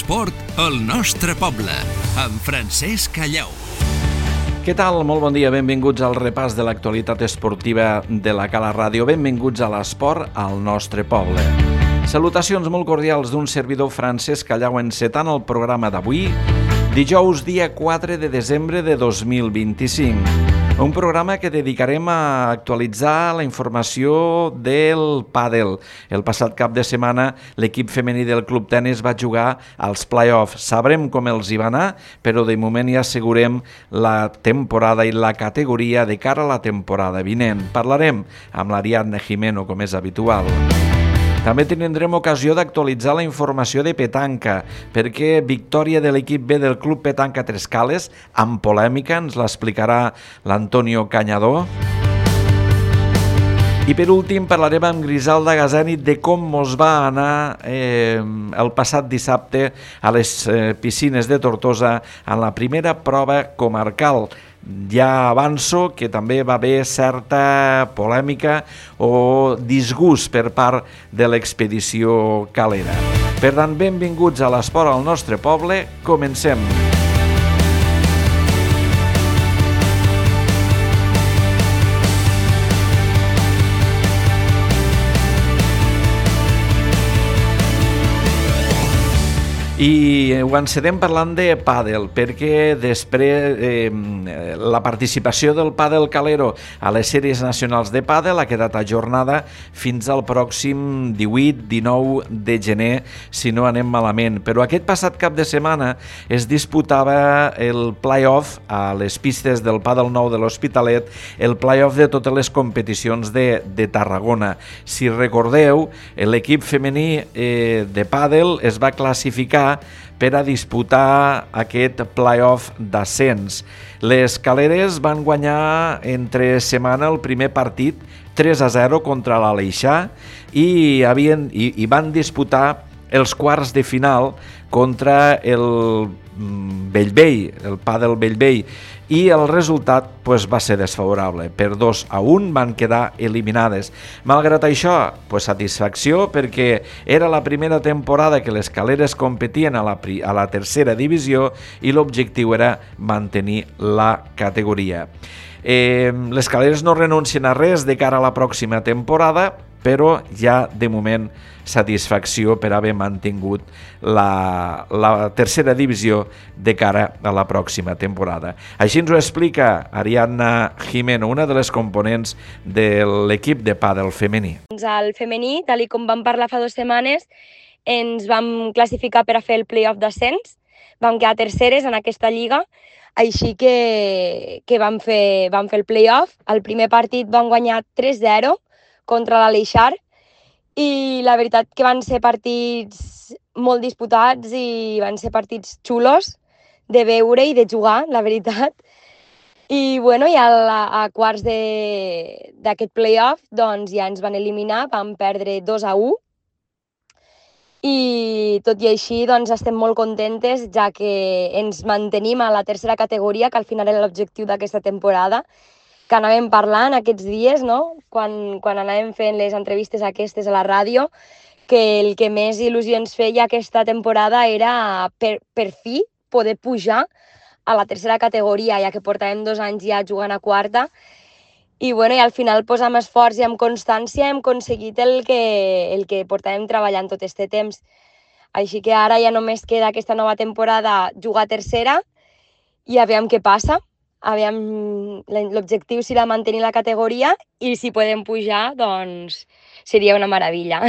L'esport al nostre poble, amb Francesc Callau. Què tal? Molt bon dia, benvinguts al repàs de l'actualitat esportiva de la Cala Ràdio. Benvinguts a l'esport al nostre poble. Salutacions molt cordials d'un servidor Francesc Callau encetant el programa d'avui, dijous dia 4 de desembre de 2025. Un programa que dedicarem a actualitzar la informació del pàdel. El passat cap de setmana l'equip femení del Club Tenis va jugar als play-offs. Sabrem com els hi va anar, però de moment ja assegurem la temporada i la categoria de cara a la temporada vinent. Parlarem amb l'Ariadna Jimeno, com és habitual. També tindrem ocasió d'actualitzar la informació de petanca, perquè victòria de l'equip B del Club Petanca Trescales, amb polèmica, ens l'explicarà l'Antonio Cañador. I per últim parlarem amb Griselda Gazzanic de com mos va anar el passat dissabte a les piscines de Tortosa en la primera prova comarcal. Ja avanço que també va haver certa polèmica o disgust per part de l'expedició calera. Per tant, benvinguts a l'esport al nostre poble. Comencem. I ho encedem parlant de pàdel, perquè després la participació del pàdel calero a les sèries nacionals de pàdel ha quedat ajornada fins al pròxim 18-19 de gener, si no anem malament. Però aquest passat cap de setmana es disputava el play-off a les pistes del pàdel nou de l'Hospitalet, el play-off de totes les competicions de Tarragona. Si recordeu, l'equip femení de pàdel es va classificar per a disputar aquest play-off d'ascens. Les caleres van guanyar entre setmana el primer partit 3-0 contra l'Aleixar i van disputar els quarts de final contra el Bellvei, el pàdel Bellvei, i el resultat va ser desfavorable. Per 2-1 van quedar eliminades. Malgrat això, satisfacció, perquè era la primera temporada que les caleres competien a la tercera divisió i l'objectiu era mantenir la categoria. Les caleres no renuncien a res de cara a la pròxima temporada, però ja de moment satisfacció per haver mantingut la tercera divisió de cara a la pròxima temporada. Així ens ho explica Ariadna Jimeno, una de les components de l'equip de pàdel femení. Al femení, tal com vam parlar fa 2 setmanes, ens vam classificar per a fer el play-off d'ascens, vam quedar terceres en aquesta lliga, així que vam fer el play-off. El primer partit vam guanyar 3-0 contra l'Aleixar i la veritat que van ser partits molt disputats i van ser partits xulos de veure i de jugar, la veritat. I a quarts d'aquest play-off doncs ja ens van eliminar, vam perdre 2-1 i tot i així doncs estem molt contentes, ja que ens mantenim a la tercera categoria, que al final era l'objectiu d'aquesta temporada, que anàvem parlant aquests dies, no? Quan anàvem fent les entrevistes aquestes a la ràdio, que el que més il·lusió ens feia aquesta temporada era per fi poder pujar a la tercera categoria, ja que portàvem 2 anys ja jugant a quarta. I al final amb esforç i amb constància hem aconseguit el que portàvem treballant tot aquest temps. Així que ara ja només queda aquesta nova temporada jugar a tercera i aviam què passa. L'objectiu serà mantenir la categoria i si podem pujar, doncs seria una meravella.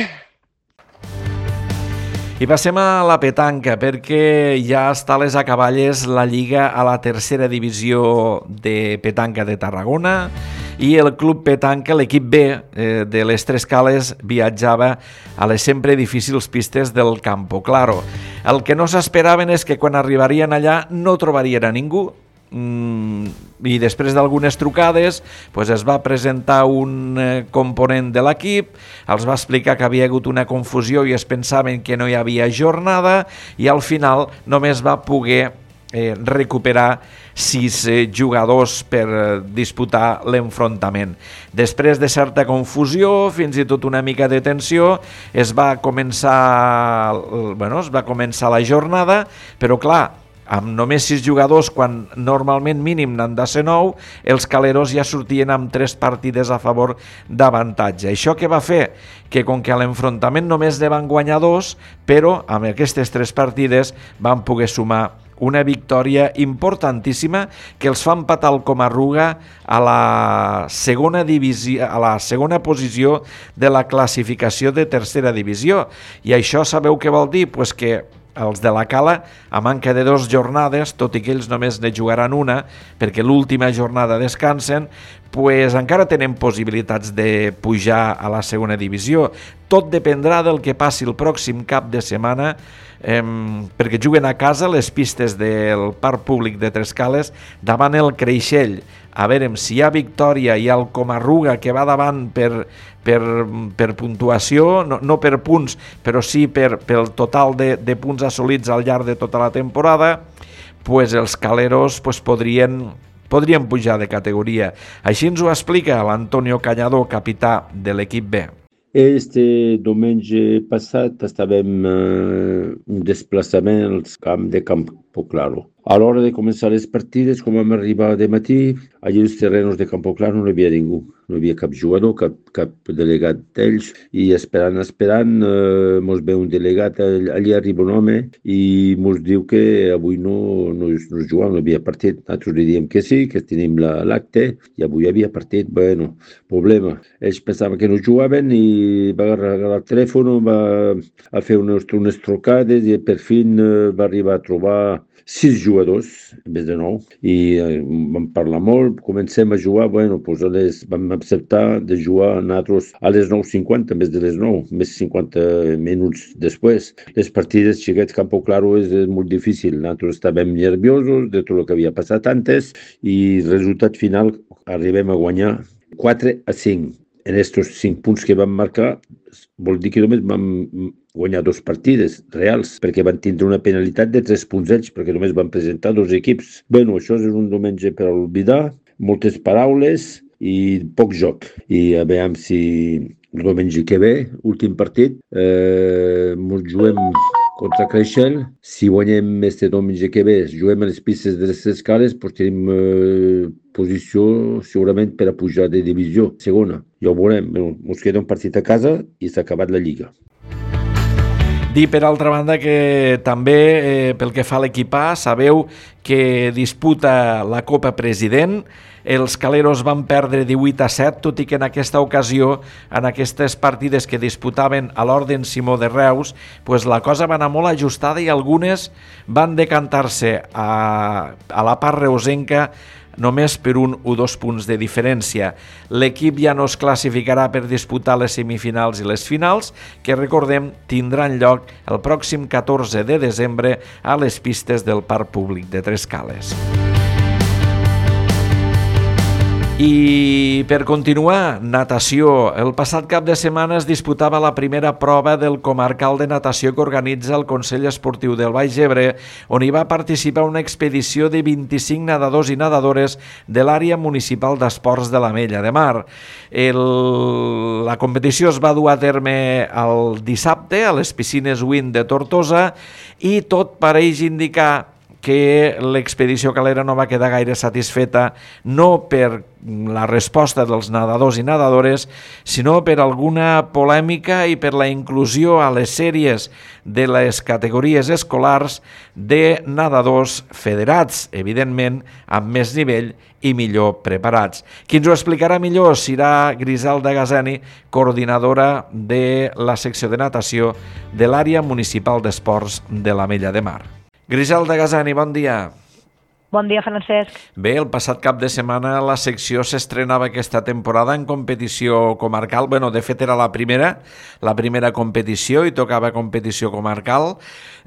I passem a la petanca, perquè ja està a les acaballes la Lliga a la tercera divisió de petanca de Tarragona i el Club Petanca, l'equip B de les Tres Cales, viatjava a les sempre difícils pistes del Campo Claro. El que no s'esperaven és que quan arribarien allà no trobarien a ningú, i després d'algunes trucades es va presentar un component de l'equip, els va explicar que havia hagut una confusió i es pensaven que no hi havia jornada i al final només va poder recuperar 6 jugadors per disputar l'enfrontament. Després de certa confusió, fins i tot una mica de tensió, es va començar la jornada, però clar, amb només 6 jugadors, quan normalment mínim n'han de ser 9, els caleros ja sortien amb 3 partides a favor d'avantatge. Això què va fer? Que com que a l'enfrontament només ne van guanyar 2, però amb aquestes 3 partides van poder sumar una victòria importantíssima que els fa empatar el Comarruga a la segona divisió, a la segona posició de la classificació de tercera divisió. I això sabeu què vol dir? Pues que els de la Cala, a manca de 2 jornades, tot i que ells només ne jugaran una, perquè l'última jornada descansen, pues encara tenen possibilitats de pujar a la segona divisió. Tot dependrà del que passi el pròxim cap de setmana, perquè juguen a casa les pistes del Parc Públic de Trescales davant el Creixell. A veure si hi ha victòria i el Comarruga, que va davant per puntuació, no per punts, però sí pel total de punts assolits al llarg de tota la temporada, pues els caleros podrien pujar de categoria. Així ens ho explica l'Antonio Cañador, capità de l'equip B. Este diumenge passat estàvem un desplaçament al camp de Campo Claro. A l'hora de començar les partides, com vam arribar de matí, allà als terrenos de Campo Claro no hi havia ningú. No hi havia cap jugador, cap delegat d'ells. I esperant, mos ve un delegat, allà arriba un home i mos diu que avui no jugàvem, no hi havia partit. Nosaltres li diem que sí, que tenim l'acte, i avui hi havia partit. Bueno, problema. Ells pensaven que no jugaven i va agarrar el telèfon, va fer unes trucades i per fi va arribar a trobar 6 jugadors, en vez de 9, i vam parlar molt, comencem a jugar, vam acceptar de jugar nosaltres a les 9:50 en vez de les 9, més 50 minuts després. Les partides, xiquets, Campo Claro és molt difícil, nosaltres estàvem nerviosos de tot el que havia passat antes i el resultat final arribem a guanyar 4-5. En aquests 5 punts que vam marcar, vol dir que només vam guanyar 2 partides reals, perquè van tindre una penalitat de 3 punts ells, perquè només van presentar 2 equips. Bueno, això és un diumenge per oblidar, moltes paraules i poc joc. I a veure si el diumenge que ve, últim partit, ens juguem contra Creixell. Si guanyem este diumenge que ve, juguem a les pistes de les Escales, doncs tenim posició segurament per a pujar de divisió segona. Ja ho veurem. Ens queda un partit a casa i s'ha acabat la Lliga. Dir, per altra banda, que també pel que fa a l'equip A, sabeu que disputa la Copa President. Els caleros van perdre 18-7, tot i que en aquesta ocasió, en aquestes partides que disputaven a l'Orden Simó de Reus, la cosa va anar molt ajustada i algunes van decantar-se a la part reusenca només per 1 o 2 punts de diferència. L'equip ja no es classificarà per disputar les semifinals i les finals, que recordem tindran lloc el pròxim 14 de desembre a les pistes del Parc Públic de Trescales. I per continuar, natació. El passat cap de setmana es disputava la primera prova del comarcal de natació que organitza el Consell Esportiu del Baix Ebre, on hi va participar una expedició de 25 nedadors i nedadores de l'àrea municipal d'esports de l'Ametlla de Mar. La competició es va dur a terme el dissabte a les piscines Wind de Tortosa i tot pareix indicar que l'expedició calera no va quedar gaire satisfeta, no per la resposta dels nedadors i nedadores, sinó per alguna polèmica i per la inclusió a les sèries de les categories escolars de nedadors federats, evidentment amb més nivell i millor preparats. Qui ens ho explicarà millor serà Griselda Gazani, coordinadora de la secció de natació de l'àrea municipal d'esports de l'Ametlla de Mar. Griselda Gazani, bon dia. Bon dia, Francesc. Bé, el passat cap de setmana la secció s'estrenava aquesta temporada en competició comarcal. Bueno, de fet era la primera competició i tocava competició comarcal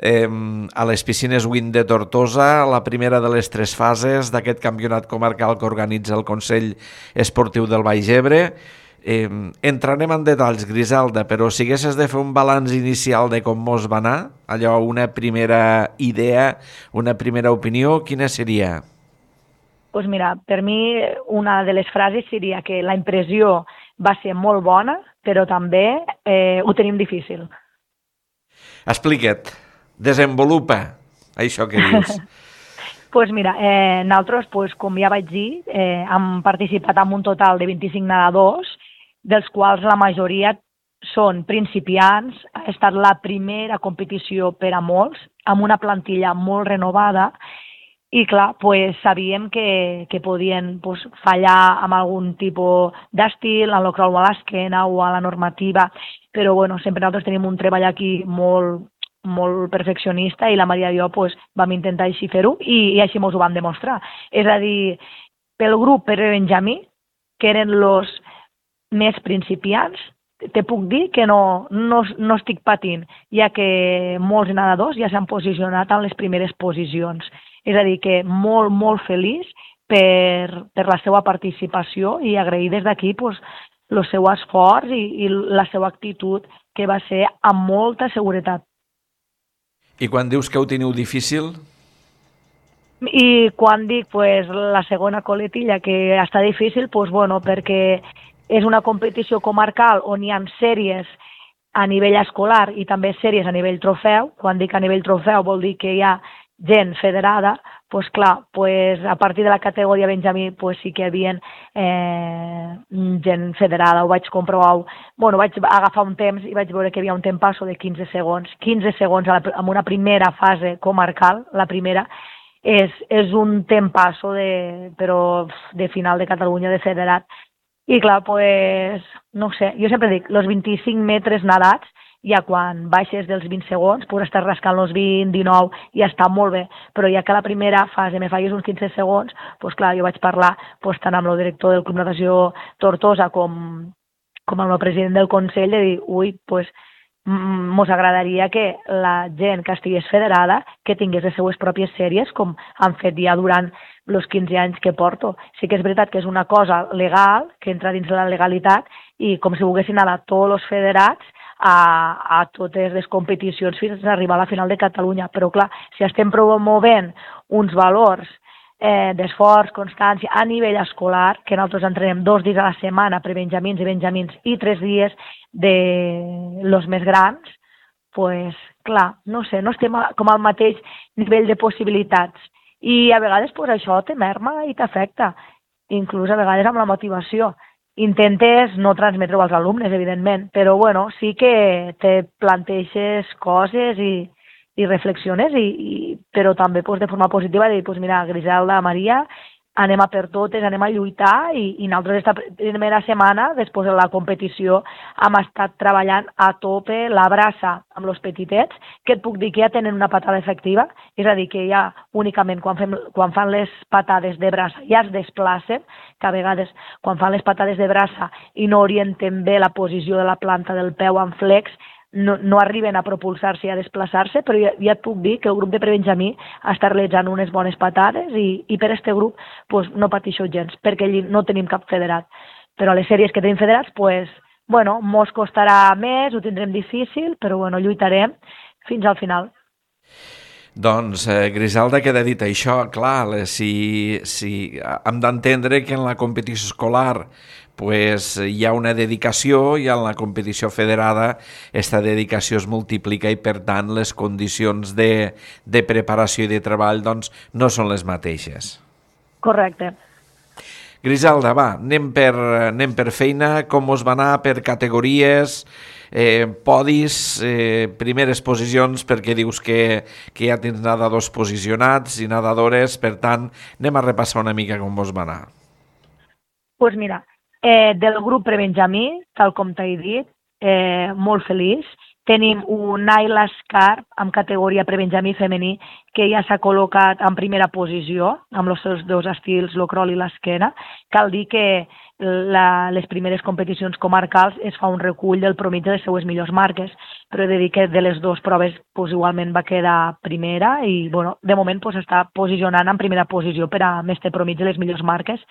a les piscines Wind de Tortosa, la primera de les 3 fases d'aquest campionat comarcal que organitza el Consell Esportiu del Baix Ebre. Entrarem en detalls, Griselda, però si haguessis de fer un balanç inicial de com mos va anar, allò, una primera idea, una primera opinió, quina seria? Pues mira, per mi una de les frases seria que la impressió va ser molt bona, però també ho tenim difícil. Explica't, desenvolupa això que dius. Pues mira, nosaltres, com ja vaig dir, hem participat en un total de 25 nedadors, dels quals la majoria són principiants. Ha estat la primera competició per a molts, amb una plantilla molt renovada, i clar, sabíem que podien fallar amb algun tipus d'estil, en el crawl a l'esquena o a la normativa, però bueno, sempre nosaltres tenim un treball aquí molt perfeccionista i la Maria i jo vam intentar així fer-ho i així ens ho vam demostrar. És a dir, pel grup per Benjamí, que eren els més principiants, te puc dir que no estic patint, ja que molts nedadors ja s'han posicionat en les primeres posicions. És a dir, que molt, molt feliç per la seva participació i agrair des d'aquí el seu esforç i la seva actitud, que va ser amb molta seguretat. I quan dius que ho teniu difícil? I quan dic la segona coletilla que està difícil, perquè és una competició comarcal on hi ha sèries a nivell escolar i també sèries a nivell trofeu. Quan dic a nivell trofeu vol dir que hi ha gent federada. A partir de la categoria Benjamí sí que hi havia gent federada, ho vaig comprovar. Vaig agafar un temps i vaig veure que hi havia un tempasso de 15 segons. 15 segons en una primera fase comarcal, la primera, és un tempasso de final de Catalunya, de federat. I clar, no sé, jo sempre dic, els 25 metres nedats, ja quan baixes dels 20 segons, estàs rascant els 20, 19, i està molt bé. Però ja que a la primera fase me fallis uns 15 segons, clar, jo vaig parlar tant amb el director del Club Natació Tortosa com amb el president del Consell, de dir, mos agradaria que la gent que estigués federada, que tingués les seues pròpies sèries, com han fet ja durant els 15 anys que porto. Sí que és veritat que és una cosa legal, que entra dins de la legalitat, i com si volguessin anar tots els federats a totes les competicions fins a arribar a la final de Catalunya. Però clar, si estem promovent uns valors d'esforç, constància a nivell escolar, que nosaltres entrenem 2 dies a la setmana per benjamins i benjamins i 3 dies de los més grans, clar, no sé, no estem com al mateix nivell de possibilitats. I a vegades això te merma i t'afecta, inclús a vegades amb la motivació. Intentes no transmetre-ho als alumnes, evidentment, però sí que te planteixes coses i reflexiones, però també de forma positiva, de dir, mira, Griselda, Maria, anem a per totes, anem a lluitar, i nosaltres esta primera setmana, després de la competició, hem estat treballant a tope la braça amb els petitets, que et puc dir que ja tenen una patada efectiva, és a dir, que ja únicament quan fan les patades de braça ja es desplacen, que a vegades quan fan les patades de braça i no orienten bé la posició de la planta del peu en flex, no arriben a propulsar-se i a desplaçar-se, però ja et puc dir que el grup de prebenjamí està realitzant unes bones patades i per aquest grup no pateixo gens, perquè allí no tenim cap federat. Però a les sèries que tenim federats, mos costarà més, ho tindrem difícil, però lluitarem fins al final. Doncs, Griselda, queda dit això, clar, si hem d'entendre que en la competició escolar hi ha una dedicació i en la competició federada aquesta dedicació es multiplica i per tant les condicions de preparació i de treball no són les mateixes. Correcte. Griselda, va, anem per feina, com us va anar per categories, podis, primeres posicions, perquè dius que ja tens nedadors posicionats i nedadores, per tant, anem a repassar una mica com us va anar. Doncs mira, del grup prebenjamí, tal com t'he dit, molt feliç. Tenim un Naila Scarp amb categoria prebenjamí femení que ja s'ha col·locat en primera posició amb els seus 2 estils, el crawl i l'esquena. Cal dir que les primeres competicions comarcals es fa un recull del promigi de les seues millors marques, però he de dir que de les 2 proves igualment va quedar primera i de moment està posicionant en primera posició per a més té promigi de les millors marques.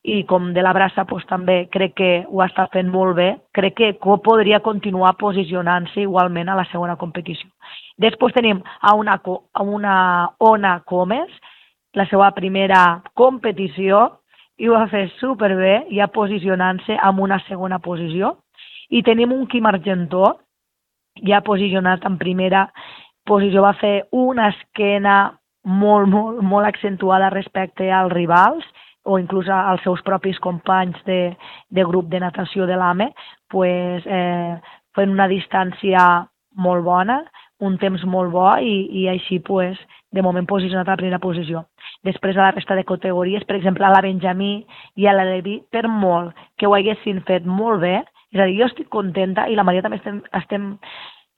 i com de la braça també crec que ho està fent molt bé, crec que podria continuar posicionant-se igualment a la segona competició. Després tenim a una Ona Comes, la seva primera competició, i ho va fer superbé, ja posicionant-se en una segona posició. I tenim un Quim Argentó, ja posicionat en primera posició, va fer una esquena molt accentuada respecte als rivals, o inclús als seus propis companys de grup de natació de l'AME, fent una distància molt bona, un temps molt bo i així de moment posicionat a la primera posició. Després a la resta de categories, per exemple a la Benjamí i a la Levi, per molt que ho haguessin fet molt bé, és a dir, jo estic contenta i la Maria també estem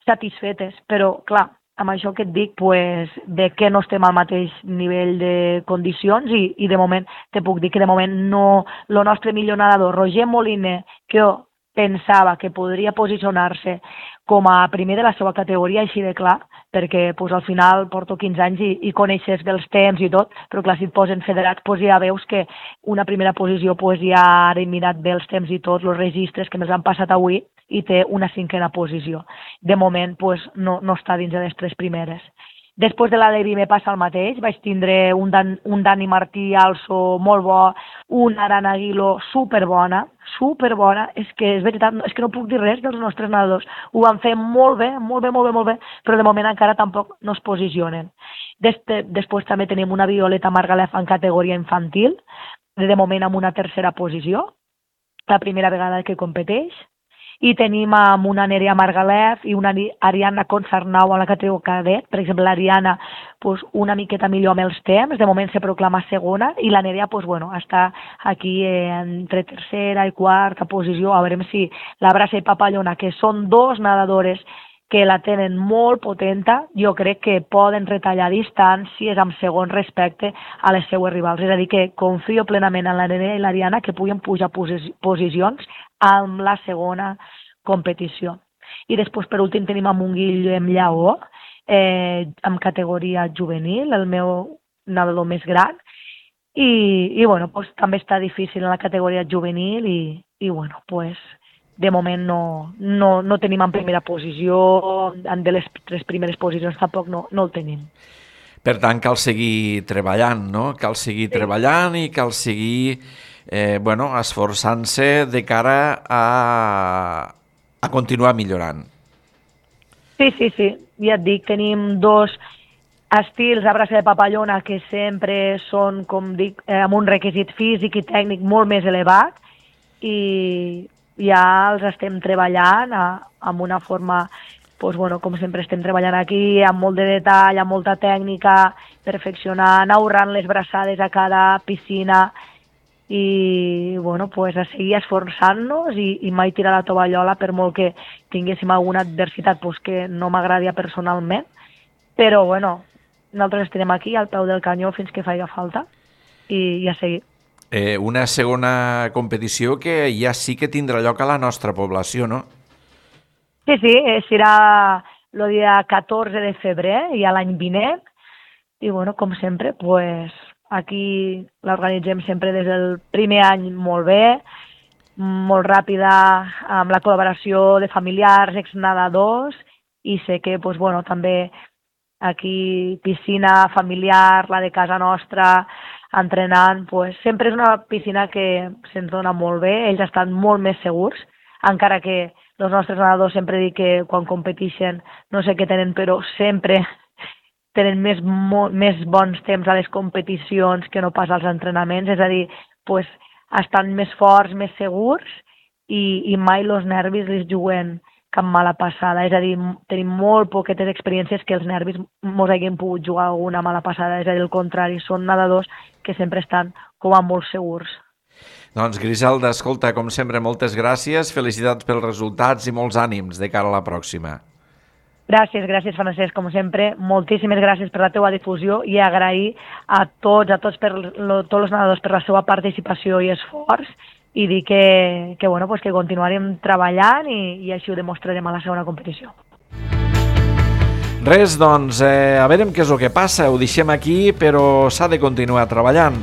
satisfetes, però clar, amb això que et dic, de que no estem al mateix nivell de condicions i de moment, te puc dir que de moment no, el nostre millor nedador, Roger Moliner, que jo pensava que podria posicionar-se com a primer de la seva categoria, així de clar, perquè al final porto 15 anys i coneixes dels temps i tot, però clar, si et posen federats, ja veus que una primera posició ja ara he mirat bé els temps i tots, els registres que me'ls han passat avui, i té una cinquena posició. De moment no està dins de les 3 primeres. Després de la Levi me passa el mateix, vaig tindre un Dani Martí also molt bo, una Arana Aguilo superbona, és que és veritat, és que no puc dir res dels nostres nedadors, ho van fer molt bé, però de moment encara tampoc no es posicionen. Després també tenim una Violeta Margalef en categoria infantil, de moment amb una tercera posició, la primera vegada que competeix, i tenim amb una Nerea Margalef i una Ariana Consarnau en la categoria cadet. Per exemple, l'Ariana una miqueta millor amb els temps, de moment se proclama segona, i la Nerea està aquí entre tercera i quarta posició. A veure si la Braça i Papallona, que són 2 nedadores que la tenen molt potenta, jo crec que poden retallar distàncies amb segon respecte a les seues rivals. És a dir, que confio plenament en la Nerea i l'Ariana que puguin pujar posicions amb la segona competició. I després, per últim, tenim amb un Guillem Lleó, en categoria juvenil, el meu nedador més gran, i també està difícil en la categoria juvenil i de moment no tenim en primera posició, de les 3 primeres posicions tampoc no el tenim. Per tant, cal seguir treballant, no? Cal seguir treballant i cal seguir esforçant-se de cara a continuar millorant. Sí, ja et dic, tenim 2 estils a Braça de Papallona que sempre són, com dic, amb un requisit físic i tècnic molt més elevat i ja els estem treballant amb una forma, com sempre estem treballant aquí, amb molt de detall, amb molta tècnica, perfeccionant, ahorrant les braçades a cada piscina i a seguir esforçant-nos i mai tirar la tovallola per molt que tinguéssim alguna adversitat que no m'agradia personalment, però nosaltres estarem aquí al peu del canyó fins que faci falta i a seguir. Una segona competició que ja sí que tindrà lloc a la nostra població, no? Sí, serà el dia 14 de febrer i a l'any vinent i com sempre, aquí l'organitzem sempre des del primer any molt bé, molt ràpida, amb la col·laboració de familiars, exnedadors, i sé que també aquí piscina familiar, la de casa nostra, entrenant, sempre és una piscina que se'ns dona molt bé, ells estan molt més segurs, encara que els nostres nedadors sempre dic que quan competeixen no sé què tenen, però sempre tenen més bons temps a les competicions que no pas als entrenaments, és a dir, estan més forts, més segurs i mai els nervis els juguen cap mala passada, és a dir, tenim molt poquetes experiències que els nervis mos hagin pogut jugar alguna mala passada, és a dir, al contrari, són nedadors que sempre estan com a molt segurs. Doncs Griselda, escolta, com sempre, moltes gràcies, felicitats pels resultats i molts ànims de cara a la pròxima. Gràcies, Francesc, com sempre. Moltíssimes gràcies per la teua difusió i agrair a tots els nedadors per la seva participació i esforç i dir que continuarem treballant i així ho demostrarem a la segona competició. Res, doncs, a veure què és el que passa. Ho deixem aquí, però s'ha de continuar treballant.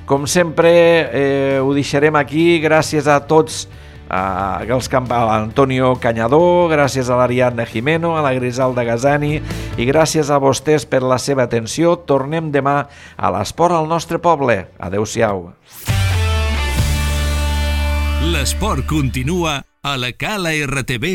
Com sempre, ho deixarem aquí. Gràcies a tots, a l'Antonio Cañador, gràcies a l'Ariadna Jimeno, a la Griselda Gazani i gràcies a vostès per la seva atenció. Tornem demà a l'Esport al nostre poble. Adéu-siau. L'esport continua a la calartv.cat.